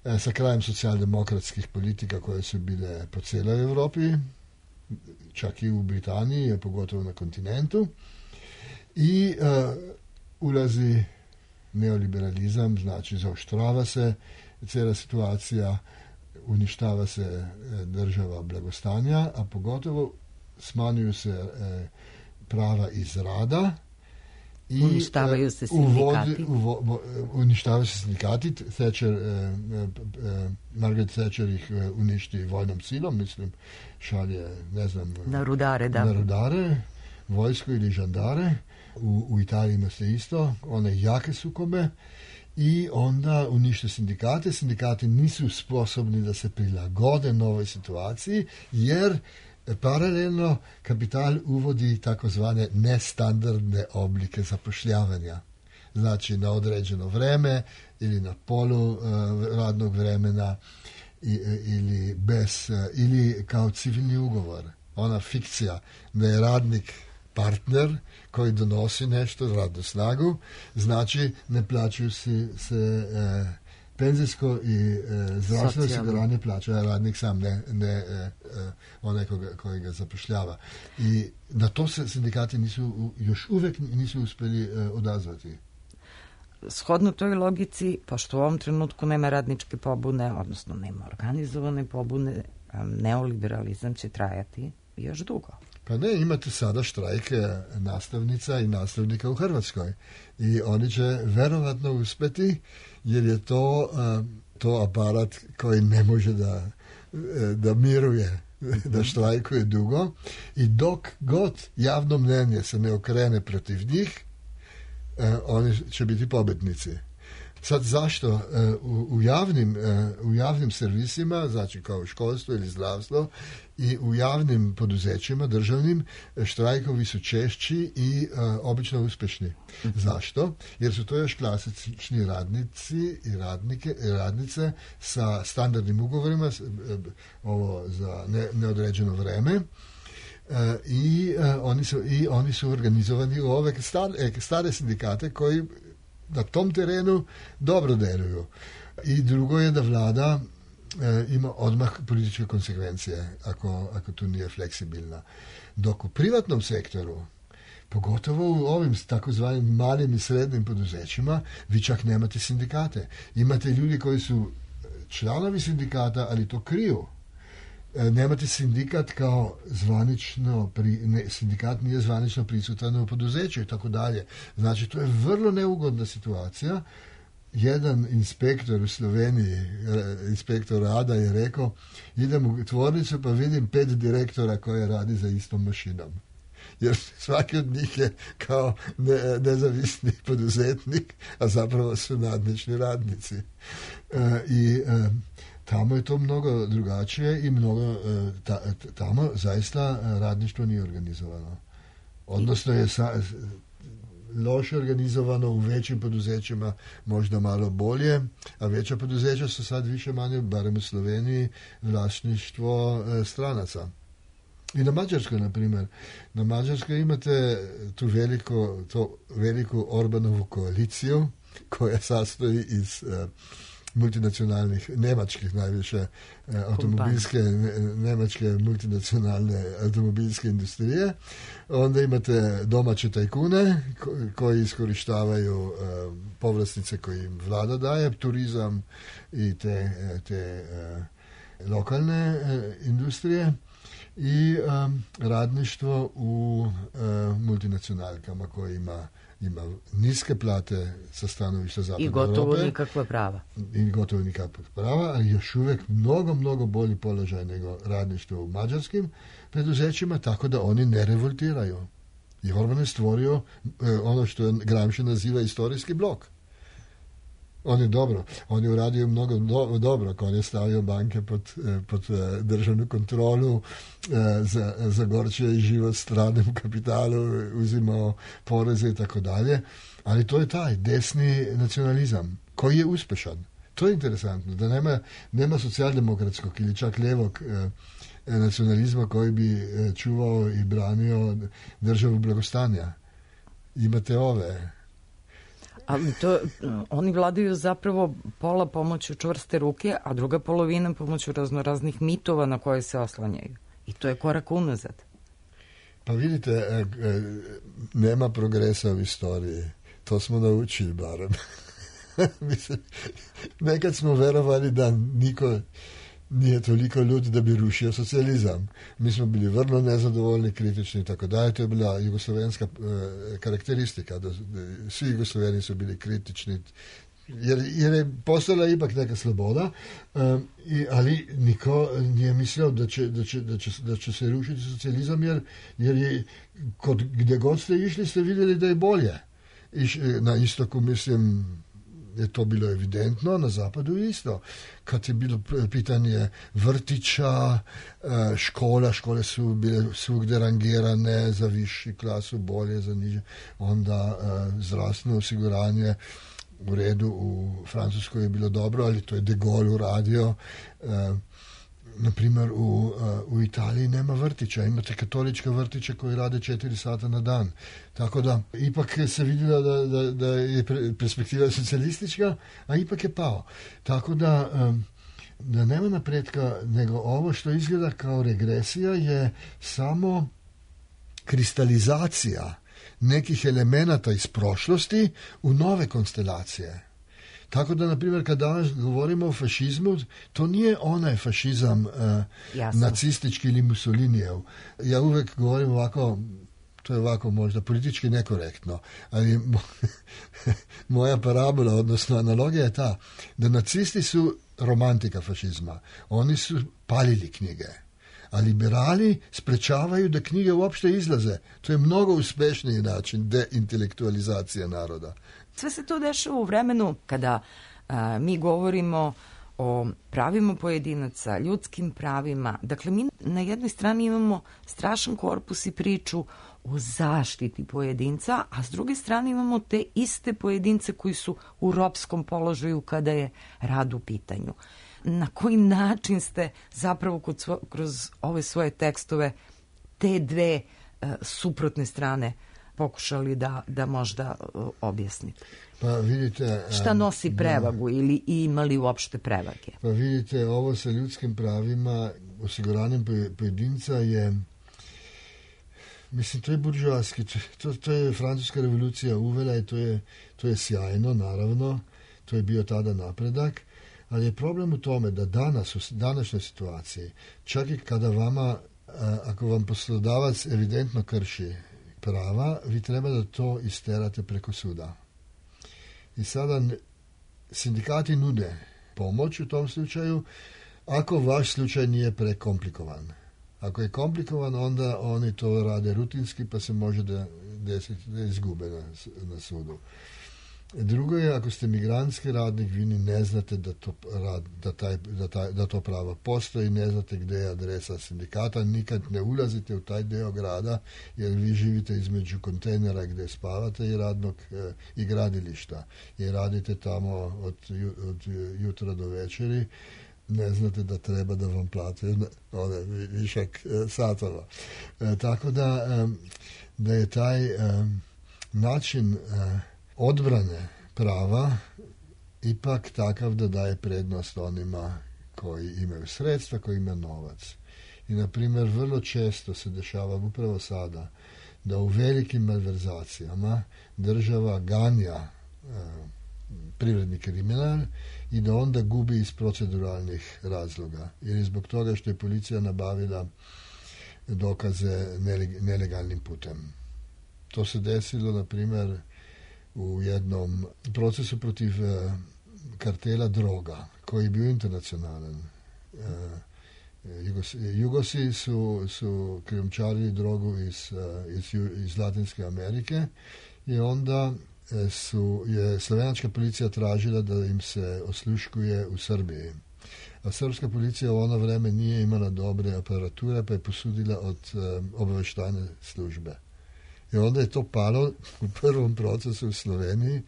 e, sa krajem socijaldemokratskih politika koje su bile po cijeloj Europi, čak i u Britaniji, pogotovo na kontinentu. I e, ulazi neoliberalizam, znači zaoštrava se cijela situacija, uništava se država blagostanja, a pogotovo smanjuju se e, prava iz rada I uništavaju se sindikati. Uvodi, uvo, uništavaju se sindikati. Thatcher, eh, eh, Margaret Thatcher ih uništi vojnom silom, mislim, šalje, ne znam, na rudare, da. Na rudare, vojsku ili žandare. U, u Italiji ima se isto, one jake sukobe. I onda unište sindikate. Sindikati nisu sposobni da se prilagode novoj situaciji, jer paralelno kapital uvodi takozvane nestandardne oblike zapošljavanja. Znači na određeno vreme ili na polu uh, radnog vremena i, ili bez, uh, ili kao civilni ugovor. Ona fikcija da je radnik partner koji donosi nešto, radnu snagu, znači ne plaćaju si se e, penzijsko i e, zdravstveno osiguranje plaća radnik sam, ne, ne e, onaj koji ga zapošljava. I na to se sindikati nisu, još uvek nisu uspeli e, odazvati. Shodno toj logici, pošto u ovom trenutku nema radničke pobune, odnosno nema organizovane pobune, neoliberalizam će trajati još dugo. Pa ne, imate sada štrajke nastavnica i nastavnika u Hrvatskoj i oni će verovatno uspeti, jer je to, to aparat koji ne može da, da miruje, da štrajkuje dugo, i dok god javno mnenje se ne okrene protiv njih, oni će biti pobednici. Sad zašto? U, u, javnim, u javnim servisima, znači kao školstvo ili zdravstvo, i u javnim poduzećima, državnim, štrajkovi su češći i uh, obično uspešni. Zašto? Jer su to još klasični radnici i radnike, radnice sa standardnim ugovorima, ovo za ne, neodređeno vreme, uh, i, uh, oni su, i oni su organizovani u ove stare, stare sindikate koji na tom terenu dobro deluju. I drugo je da vlada e, ima odmah političke konsekvencije ako, ako tu nije fleksibilna. Dok u privatnom sektoru, pogotovo u ovim takozvanim malim i srednjim poduzećima, vi čak nemate sindikate. Imate ljudi koji su članovi sindikata, ali to kriju. E, nemate sindikat kao zvanično, pri, ne, sindikat nije zvanično prisutan u poduzeću i tako dalje. Znači, to je vrlo neugodna situacija. Jedan inspektor u Sloveniji, inspektor rada, je rekao, idem u tvornicu pa vidim pet direktora koje radi za istom mašinom. Jer svaki od njih je kao ne, nezavisni poduzetnik, a zapravo su nadnični radnici. E, I e, tamo je to mnogo drugačije i mnogo, ta, tamo zaista radništvo nije organizovano. Odnosno je sa, loše organizovano u većim poduzećima, možda malo bolje, a veća poduzeća su sad više manje, barem u Sloveniji, vlasništvo stranaca. I na Mađarskoj, na primjer. Na Mađarskoj imate tu veliko, to veliku Orbanovu koaliciju koja sastoji iz uh, multinacionalnih, nemačkih najviše uh, automobilske, ne, nemačke multinacionalne automobilske industrije. Onda imate domaće tajkune ko, koji iskorištavaju uh, povlastice koje im vlada daje, turizam i te, te uh, lokalne uh, industrije. I um, radništvo u uh, multinacionalkama koje ima, ima niske plate sa stanovišta zapadne Europe. I gotovo nikakva prava. I gotovo nikakva prava, ali još uvijek mnogo, mnogo bolji položaj nego radništvo u mađarskim preduzećima, tako da oni ne revoltiraju. I Orban je stvorio uh, ono što Gramsci naziva istorijski blok. On je dobro, on je uradio mnogo do, dobro, on je stavio banke pod, pod državnu kontrolu, za, zagorčio i život stranom kapitalu, uzimao poreze i tako dalje, ali to je taj desni nacionalizam koji je uspešan. To je interesantno, da nema, nema socijaldemokratskog ili čak ljevog eh, nacionalizma koji bi eh, čuvao i branio državu blagostanja. Imate ove... Ali to, oni vladaju zapravo pola pomoću čvrste ruke, a druga polovina pomoću raznoraznih mitova na koje se oslanjaju. I to je korak unazad. Pa vidite, nema progresa u istoriji. To smo naučili barem. Mislim, nekad smo verovali da niko nije toliko ljudi da bi rušio socijalizam. Mi smo bili vrlo nezadovoljni, kritični i tako dalje. To je bila jugoslovenska e, karakteristika. Da, da, svi Jugosloveni su bili kritični, jer, jer je postala ipak neka sloboda, um, i, ali niko nije mislio da će, da će, da će, da će se rušiti socijalizam, jer, jer je kod, gdje god ste išli ste vidjeli da je bolje. Iš, na istoku, mislim, je to bilo evidentno, na zapadu isto. Kad je bilo pitanje vrtića, škola, škole su bile svugdje rangirane za viši klasu, bolje, za niže, onda zdravstveno osiguranje u redu, u Francuskoj je bilo dobro, ali to je De Gaulle uradio. Na primjer, u, u Italiji nema vrtića, imate katoličke vrtiće koji rade četiri sata na dan. Tako da, ipak se vidjelo da, da, da je perspektiva socijalistička, a ipak je pao. Tako da, da nema napretka, nego ovo što izgleda kao regresija je samo kristalizacija nekih elemenata iz prošlosti u nove konstelacije. Tako da, na primjer, kad danas govorimo o fašizmu, to nije onaj fašizam uh, nacistički ili Mussolinijev. Ja uvijek govorim ovako, to je ovako možda politički nekorektno, ali moja parabola, odnosno analogija je ta, da nacisti su romantika fašizma. Oni su palili knjige. A liberali sprečavaju da knjige uopšte izlaze. To je mnogo uspješniji način deintelektualizacije naroda. Sve se to dešava u vremenu kada a, mi govorimo o pravima pojedinaca, ljudskim pravima. Dakle, mi na jednoj strani imamo strašan korpus i priču o zaštiti pojedinca, a s druge strane imamo te iste pojedince koji su u ropskom položaju kada je rad u pitanju. Na koji način ste zapravo svo, kroz ove svoje tekstove te dve uh, suprotne strane pokušali da, da možda uh, objasnite? Pa vidite... Šta nosi prevagu da, ili imali uopšte prevage? Pa vidite, ovo sa ljudskim pravima, osiguranjem pojedinca je, mislim, to je buržoaski, to, to je Francuska revolucija uvela i to je, to je sjajno, naravno, to je bio tada napredak. Ali je problem u tome da danas, u današnjoj situaciji, čak i kada vama, ako vam poslodavac evidentno krši prava, vi treba da to isterate preko suda. I sada sindikati nude pomoć u tom slučaju, ako vaš slučaj nije prekomplikovan. Ako je komplikovan, onda oni to rade rutinski, pa se može da desiti da izgube na, na sudu. Drugo je, ako ste migrantski radnik, vi ni ne znate da to, rad, da, taj, da, taj, da to pravo postoji, ne znate gdje je adresa sindikata, nikad ne ulazite u taj deo grada, jer vi živite između kontejnera gdje spavate i radnog e, i gradilišta. I radite tamo od, od jutra do večeri, ne znate da treba da vam plate one višak e, satova. E, tako da, e, da je taj e, način e, odbrane prava ipak takav da daje prednost onima koji imaju sredstva, koji imaju novac. I, na primjer, vrlo često se dešava upravo sada da u velikim malverzacijama država ganja e, privredni kriminal i da onda gubi iz proceduralnih razloga. Jer je zbog toga što je policija nabavila dokaze nelegalnim putem. To se desilo, na primjer, u jednom procesu protiv uh, kartela droga, koji je bio internacionalan. Uh, Jugos, Jugosi su, su krijumčarili drogu iz, uh, iz, iz Latinske Amerike i onda su, je slovenačka policija tražila da im se osluškuje u Srbiji. A srpska policija u ono vreme nije imala dobre aparature, pa je posudila od uh, obavještajne službe. I onda je to palo u prvom procesu u Sloveniji,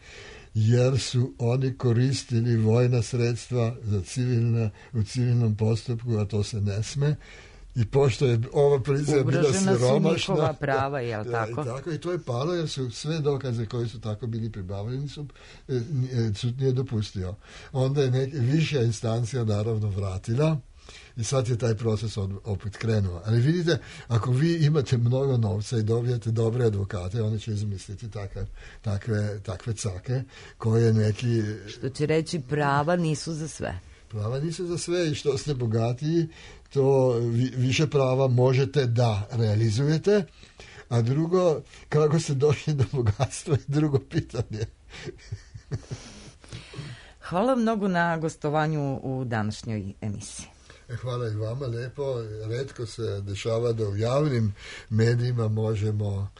jer su oni koristili vojna sredstva za civilna, u civilnom postupku, a to se ne sme. I pošto je ova policija bila siromašna... Ugrožena su njihova prava, jel tako? I tako? I to je palo, jer su sve dokaze koji su tako bili pribavljeni su, sud nije dopustio. Onda je nek, viša instancija naravno vratila i sad je taj proces od, opet krenuo. Ali vidite, ako vi imate mnogo novca i dobijete dobre advokate, oni će izmisliti takve, takve, takve cake koje neki... Što će reći, prava nisu za sve. Prava nisu za sve i što ste bogatiji, to više prava možete da realizujete, a drugo, kako ste došli do bogatstva je drugo pitanje. Hvala mnogo na gostovanju u današnjoj emisiji. Hvala i vama lepo. Retko se dešava da u javnim medijima možemo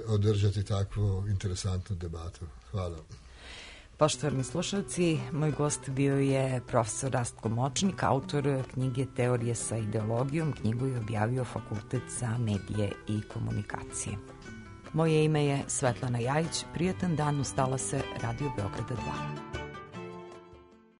održati takvu interesantnu debatu. Hvala. Poštovani slušalci, moj gost bio je profesor Rastko Močnik, autor knjige Teorije sa ideologijom. Knjigu je objavio Fakultet za medije i komunikacije. Moje ime je Svetlana Jajić. Prijatan dan, ustala se Radio Beograda dva.